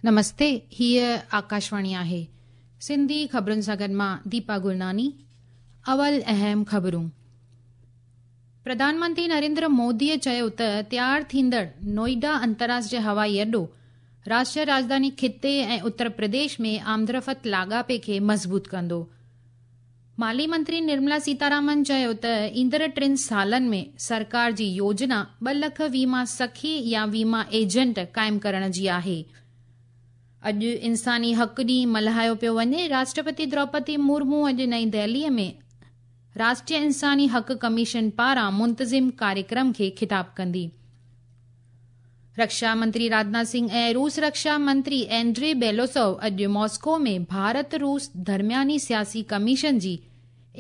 نمستي، هيء آڪاشواڻي آهي. سنڌي خبرن سان گڏ مان ديپا گرناني. اول اهم خبرون. پرڌان منتري نريندر موديء چيو ته تيار ٿيندڙ نوئيڊا انترراشٽريه هوائي اڏو راشٽريه راڄڌاني خطي ۽ اتر پرديش ۾ آمدرفت لاڳاپي کي مضبوط ڪندو. مالي منتري نرملا سيتارامن چيو ته ايندڙ ٽن سالن ۾ سرڪار جي يوجنا ٻه لک ويما سکي يا ويما ايجنٽ قائم ڪرڻ جي آهي. اڄ انساني حق ڏينهن ملهايو پيو وڃي. راشٽرپتي دروپدي مرمو اڄ نئين دهلي ۾ راشٽريه انساني حق ڪميشن پاران منتظم ڪاريڪرم کي خطاب ڪندي. رڪشا منتري راجناٿ سنگهه ۽ روس رڪشا منتري اينڊري بيلوسوو اڄ ماسڪو ۾ ڀارت-روس درمياني سياسي ڪميشن جي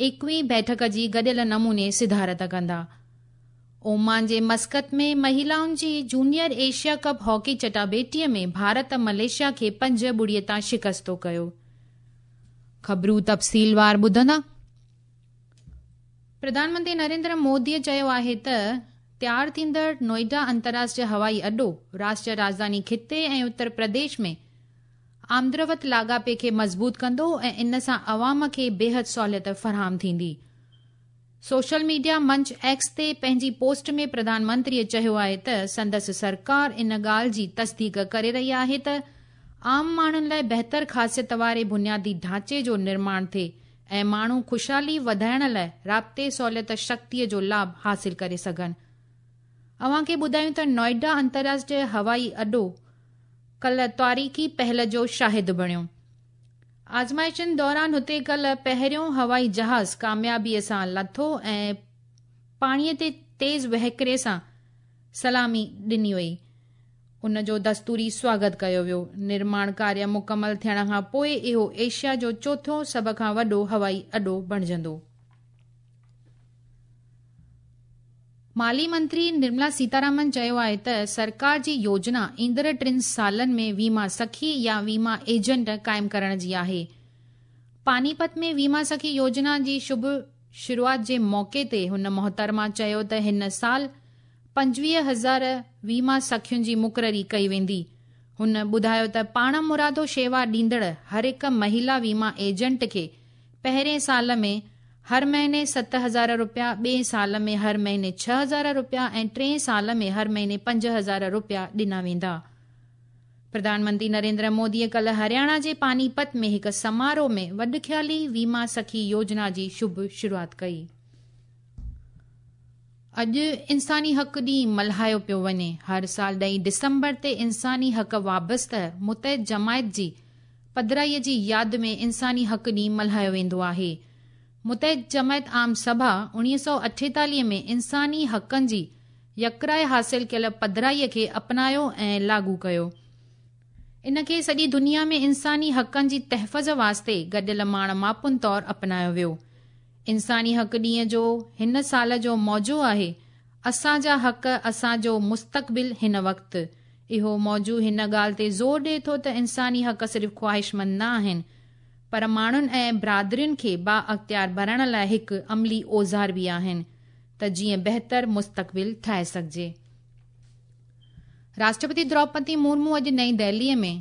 ايڪويهين بيٺڪ جي گڏيل نموني صدارت ڪندا. اومان جي مسقط ۾ مهيلائن جي جونيئر ايشيا ڪپ هاڪي چٽاڀيٽي ۾ ڀارت ملائيشيا کي 5-0 تان شڪستو ڪيو. خبرون تفصيلوار ٻڌندا. پرڌان منتري نريندر موديء چيو آهي ته تيار ٿيندڙ نوئيڊا انترراشٽريه هوائي اڏو راشٽريه راڄڌاني خطي ۽ اتر پرديش ۾ آمدرفت لاڳاپي کي مضبوط ڪندو ۽ ان سان عوام کي بيحد سهوليت فراهم ٿيندي. سوشل ميڊيا منچ ايڪس تي پنهنجي پوسٽ ۾ پرڌان منتريء چيو آهي ته سندس سرڪار ان ڳالهه جي تصديق ڪري رهي آهي ته عام ماڻهن لاء بهتر خاصيت واري بنيادي ڍانچي جو نرماڻ ٿئي ۽ ماڻهو خوشحالي وڌائڻ لاء رابطي سهوليت شڪتيء جو لاڀ حاصل ڪري سگهن. اوهان کي ٻڌايون ته نوئيڊا انترراشٽريه هوائي اڏو ڪلهه تاريخي پهل جو شاهد بڻيو. آزمائشن دوران هتي ڪلهه پهريون هوائي جهاز ڪاميابيء سان لٿو ۽ پاڻيء تي تيز وهڪري سان سلامي ڏني وئي. ان جو دستوري سواگت ڪيو ويو. نرماڻ ڪاريه مڪمل ٿيڻ کان پوء اهو ايشيا جو چوٿون سڀ کان وڏو هوائي اڏو بڻجندو. مالي منتري نرملا سيتارامن چيو آهي ته سرڪار جي يوجنا ايندڙ ٽن سالن ۾ ويما سکي يا ويما ايجنٽ قائم ڪرڻ جي آهي. پانيپت ۾ ويما سکي يوجنا جي شڀ شروعات جي موقعي تي هن محترمه چيو ته هن سال 25,000 ويما سکين جي مقرري ڪئي ويندي. هن ٻڌايو ته پاڻمرادو شيوا ڏيندڙ هر هڪ مهيلا ويما ايجنٽ کي پهرين سال ۾ هر مهيني 7,000 رپيا، ٻئين سال ۾ هر مهيني 6,000 رپيا ۽ ٽئين سال ۾ هر مهيني 5,000 رپيا ڏنا ويندا. پرڌان منتري نريندر موديء ڪلهه هرياڻا جي پانيپت ۾ هڪ سماروهه ۾ وڏخيالي ويما سکي يوجنا جي شڀ شروعات ڪئي. اڄ انساني حق ڏينهن ملهايو پيو وڃي. هر سال ڏهين ڊسمبر تي انساني حق وابسته متحد جماعت جي پڌرائيء جي ياد ۾ انساني حق ڏينهن ملهايو ويندو آهي. متحد جماعت عام سڀا 1948 ۾ انساني حقن جي يڪراء حاصل ڪيل پڌرائيء کي اپنايو ۽ لاڳو ڪيو. ان کي سڄي دنيا ۾ انساني حقن جي تحفظ واسطي گڏيل ماڻ ماپن طور اپنايو ويو. انساني حق ڏينهن جو هن سال جو موضوع آهي، اسان جا حق، اسان جو مستقبل هن وقت. اهو موضوع هن ڳالهه تي زور ڏئي ٿو ته انساني حق صرف خواهشمند نه آهن، پر ماڻهن ۽ برادرين کي بااختيار بڻائڻ لاء هڪ عملي اوزار به آهن ته جيئن بهتر مستقبل ٺاهي سگهجي. راشٽرپتي دروپدي مرمو اڄ نئين دهليء ۾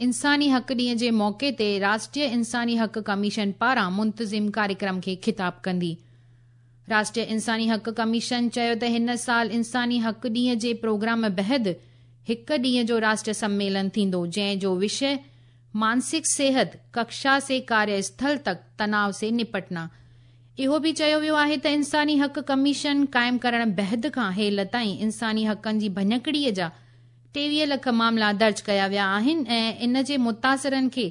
انساني حق ڏينهن جي موقعي تي راشٽريه انساني حق ڪميشن پاران منتظم ڪاريڪرم کي خطاب ڪندي. راشٽريه انساني حق ڪميشن چيو ته هن سال انساني حق ڏينهن جي پروگرام بعد هڪ ڏينهن جو راشٽريه سميلن ٿيندو جنهن جو وشيه مانسڪ صحت، ڪڪشا سي ڪاريه اسٿل تڪ تناء سي نپٽنا. اهو به چيو ويو آهي ته انساني حق ڪميشن قائم ڪرڻ بعد کان هيل تائين انساني حقن جي ڀڃڪڙي جا 23 لک معاملا درج ڪيا ويا آهن ۽ ان جي متاثرن کي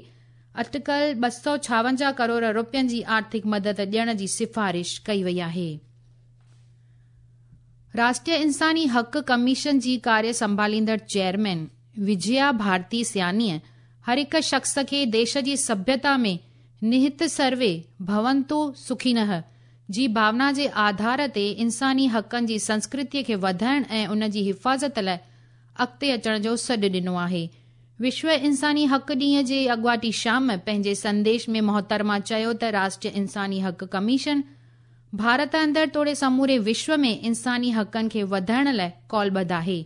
اٽڪل 256 ڪروڙ رپين جي آرٿڪ مدد ڏيڻ جي سفارش ڪئي وئي آهي. راشٽريه انساني حق ڪميشن جي ڪاريه سنڀاليندڙ چيئرمين وجيا ڀارتي سيانيء هر هڪ شخص کي ديش جي سڀيتا ۾ نهت سروي ڀونتو سکينه جي ڀاونا جي آڌار تي انساني حقن جي سنسڪرتيء کي وڌائڻ ۽ ان جي حفاظت لاء اڳتي اچڻ جو سڏ ڏنو آهي. وشو انساني حق ڏينهن جي اڳواٽي شام پنهنجي سنديش ۾ محترمه چيو ته راشٽريه انساني حق ڪميشن ڀارت اندر توڙي سموري وشو ۾ انساني حقن کي وڌائڻ لاء قولبڌ آهي.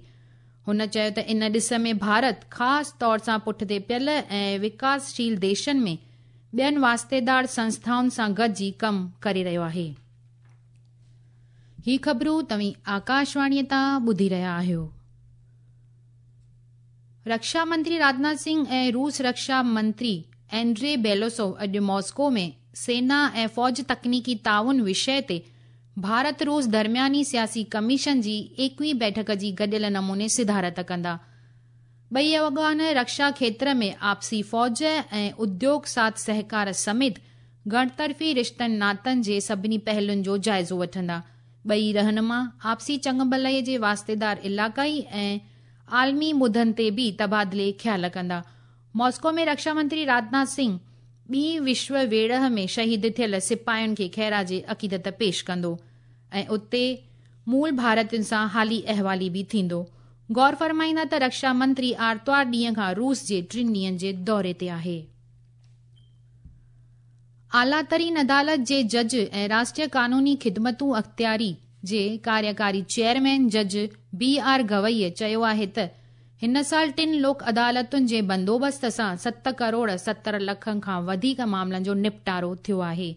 هن چيو ته ان ڏس ۾ ڀارت خاص طور سان پٺتي پيل ۽ وڪاسشيل ديشن ۾ ٻين واسطيدار سنسٿائن سان گڏجي ڪم ڪري رهيو آهي. هي خبرون توهين آڪاشواڻيء تان ٻڌي رهيا آهيو. رڪشا منتري راجناٿ سنگهه ۽ روس رڪشا منتري اينڊري بيلوسوف اڄ ماسڪو ۾ سينا ۽ فوج تڪنيڪي تعاون وشيه تي ڀارت روس درمياني سياسي ڪميشن جي ايڪويهين بيٺڪ جي گڏيل نموني صدارت ڪندا. ٻئي اڳواڻ رڪشا کيتر ۾ آپسي فوج ۽ اديوگ ساٿ سهڪار سميت گهڻطرفي رشتن ناتن جي سڀني پهلن جو جائزو وٺندا. ٻئي رهنما آپسي چڱڀلائي جي واسطيدار علائقائي ۽ عالمي مدن تي به تبادلي خيال ڪندا. ماسڪو ۾ رڪشا منتري راجناٿ سنگهه ٻي وشو ويڙهه ۾ شهيد ٿيل سپاهين کي خراج عقيدت پيش ڪندو ۽ اتي مول ڀارتين سان حالي احوالي به ٿيندو. غور فرمائيندا ته رڪشا منتري آرتوار ڏينهن کان روس جي ٽن ڏينهن جي دوري تي آهي. اعليٰ ترين عدالت جي جج ۽ راشٽريه قانوني خدمتون اختياري جي ڪاريڪاري چيئرمين جج بي آر گوئي چيو آهي ته هن سال ٽن لوڪ عدالتن جي بندوبست سان ست ڪروڙ 70 لکن کان وڌيڪ معاملن جو نپٽارو ٿيو آهي.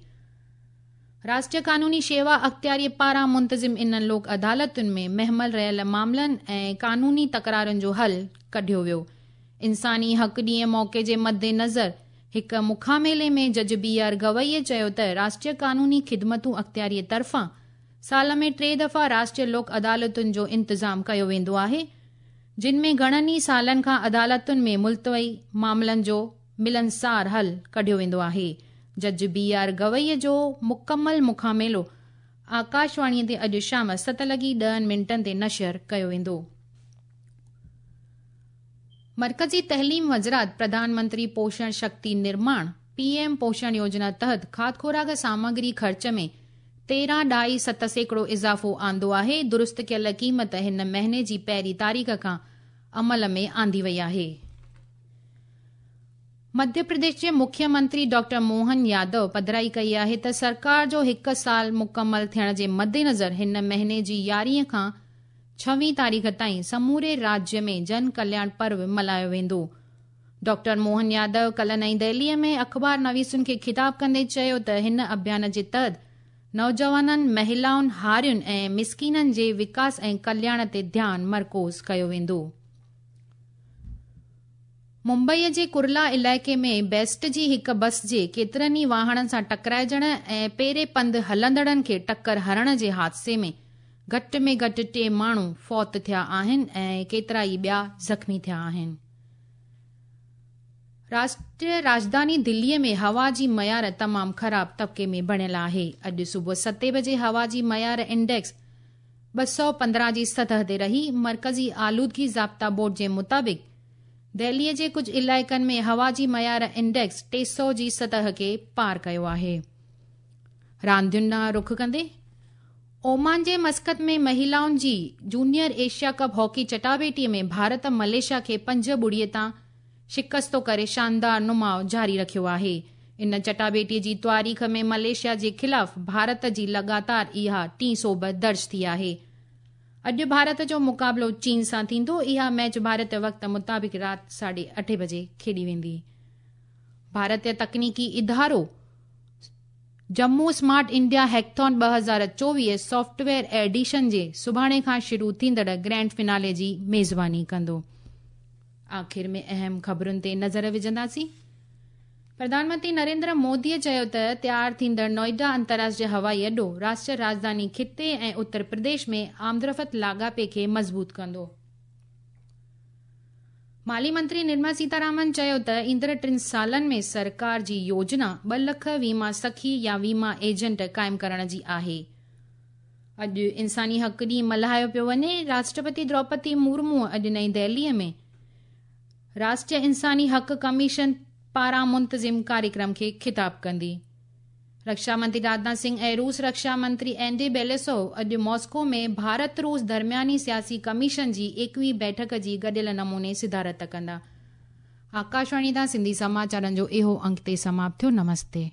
راشٽريه قانوني شيوا اختياري پاران منتظم انهن لوڪ عدالتن ۾ مهمل رهيل معاملن ۽ قانوني تڪرارن جو حل ڪڍيو ويو. انساني حق ڏينهن موقعي جي مدنظر هڪ مکاميلي ۾ جج بي آر گوئي چيو ته راشٽريه قانوني خدمتون اختياري طرفان سال ۾ ٽي دفعا راشٽريه لوڪ عدالتن جو انتظام ڪيو ويندو آهي، جن ۾ گهڻن ئي سالن کان عدالتن ۾ ملتوي معاملن جو ملنسار حل ڪڍيو ويندو آهي. جج بي آر گوئي جو مڪمل مکاميلو آڪاشواڻي تي اڄ شام 7:10 تي نشر ڪيو ويندو. مرڪزي تعليم وزارت پرڌان منتري پوشڻ شڪتي نرماڻ، پي ايم پوشڻ يوجنا تحت کاڌ خوراڪ سامگري خرچ ۾ 13.7% اضافو آندو آهي، درست ڪيل قيمت هن مهيني جي پهرين تاريخ کان عمل ۾ آندي وئي آهي. مڌيه پرديش جي مکيه منتري ڊاڪٽر موهن يادو پڌرائي ڪئي آهي ته سرڪار جو هڪ سال مڪمل ٿيڻ جي مدنظر هن مهيني جي 11 کان 26 تاريخ تائين سموري راجيه ۾ جن ڪلياڻ پرو ملهايو ويندو. ڊاڪٽر موهن يادو ڪلهه نئين دهلي ۾ اخبار نويسن کي خطاب ڪندي چيو ته هن اڀيان جي تحت نوجوانن، مهلائن، هارين ۽ مسڪينن جي وڪاس ۽ ڪلياڻ تي ڌيان مرڪوز ڪيو ويندو. ممبئي جي ڪرلا علائقي ۾ بيسٽ جي هڪ بس جي ڪيترن ئي واهڻن سان ٽڪرائجڻ ۽ پيري پنڌ هلندڙن کي ٽڪر هڻڻ جي حادثي ۾ گهٽ ۾ گهٽ ٽي ماڻهو فوت ٿيا آهن ۽ ڪيترائي ٻيا زخمي ٿيا آهن. راشٽريه راڄڌاني دلي ۾ هوا جي معيار تمام خراب طبقي ۾ بڻيل آهي. اڄ صبح 7 بجي هوا جي معيار انڊيڪس 215 جي سطح تي رهي. مرڪزي آلودگي ضابطا بورڊ جي مطابق دهلي جي ڪجهه علائقن ۾ هوا جي معيار انڊيڪس 300 جي سطح کي پار ڪيو آهي. راندين ڏانهن رخ ڪندي اومان جي مسقط ۾ مهلائن جي جونيئر ايشيا ڪپ هاڪي چٽاڀيٽي ۾ ڀارت ملائيشيا کي 5-0 تان شڪستو ڪري شاندار نماء جاري رکيو آهي. ان چٽاڀيٽي جي تاريخ ۾ ملائيشيا جي خلاف ڀارت جي لڳاتار اها ٽين سوڀ درج ٿي آهي. اڄ ڀارت جو مقابلو چين سان ٿيندو. اها ميچ ڀارتي وقت مطابق رات 8:30 بجي کيڏي ويندي. ڀارتي تڪنيڪي ادارو Jammu smart India hackathon 2024 software edition جي سڀاڻي کان شروع ٿيندڙ گرينڊ فنالي جي ميزباني ڪندو. آخر ۾ اهم خبرن تي نظر وجهنداسين. پرڌان منتري نريندر مودي چيو ته تيار ٿيندڙ نوئيڊا انترراشٽريه هوائي اڏو راشٽريه راڄڌاني خطي ۽ اتر پرديش ۾ آمدرفت لاڳاپي کي مضبوط ڪندو. مالي منتري نرملا سيتارامن چيو ته ايندڙ 3 سالن ۾ سرڪار جي يوجنا 2 لک ويما سکي يا ويما ايجنٽ قائم ڪرڻ جي آهي. اڄ انساني حق ڏينهن ملهايو پيو وڃي. راشٽرپتي دروپدي مرمو اڄ نئين دهلي ۾ راشٽريه انساني حق ڪميشن پاران منتظم ڪاريڪرم کي خطاب ڪندي. رڪشا منتري راجناٿ سنگهه ۽ روس رڪشا منتري اينڊري بيلوسوف اڄ ماسڪو ۾ ڀارت روس درمياني سياسي ڪميشن جي 21 بيٺڪ جي گڏيل نموني صدارت ڪندا. آڪاشواڻي تان سنڌي سماچارن جو اهو انگ تي سماپت ٿيو. نمستي.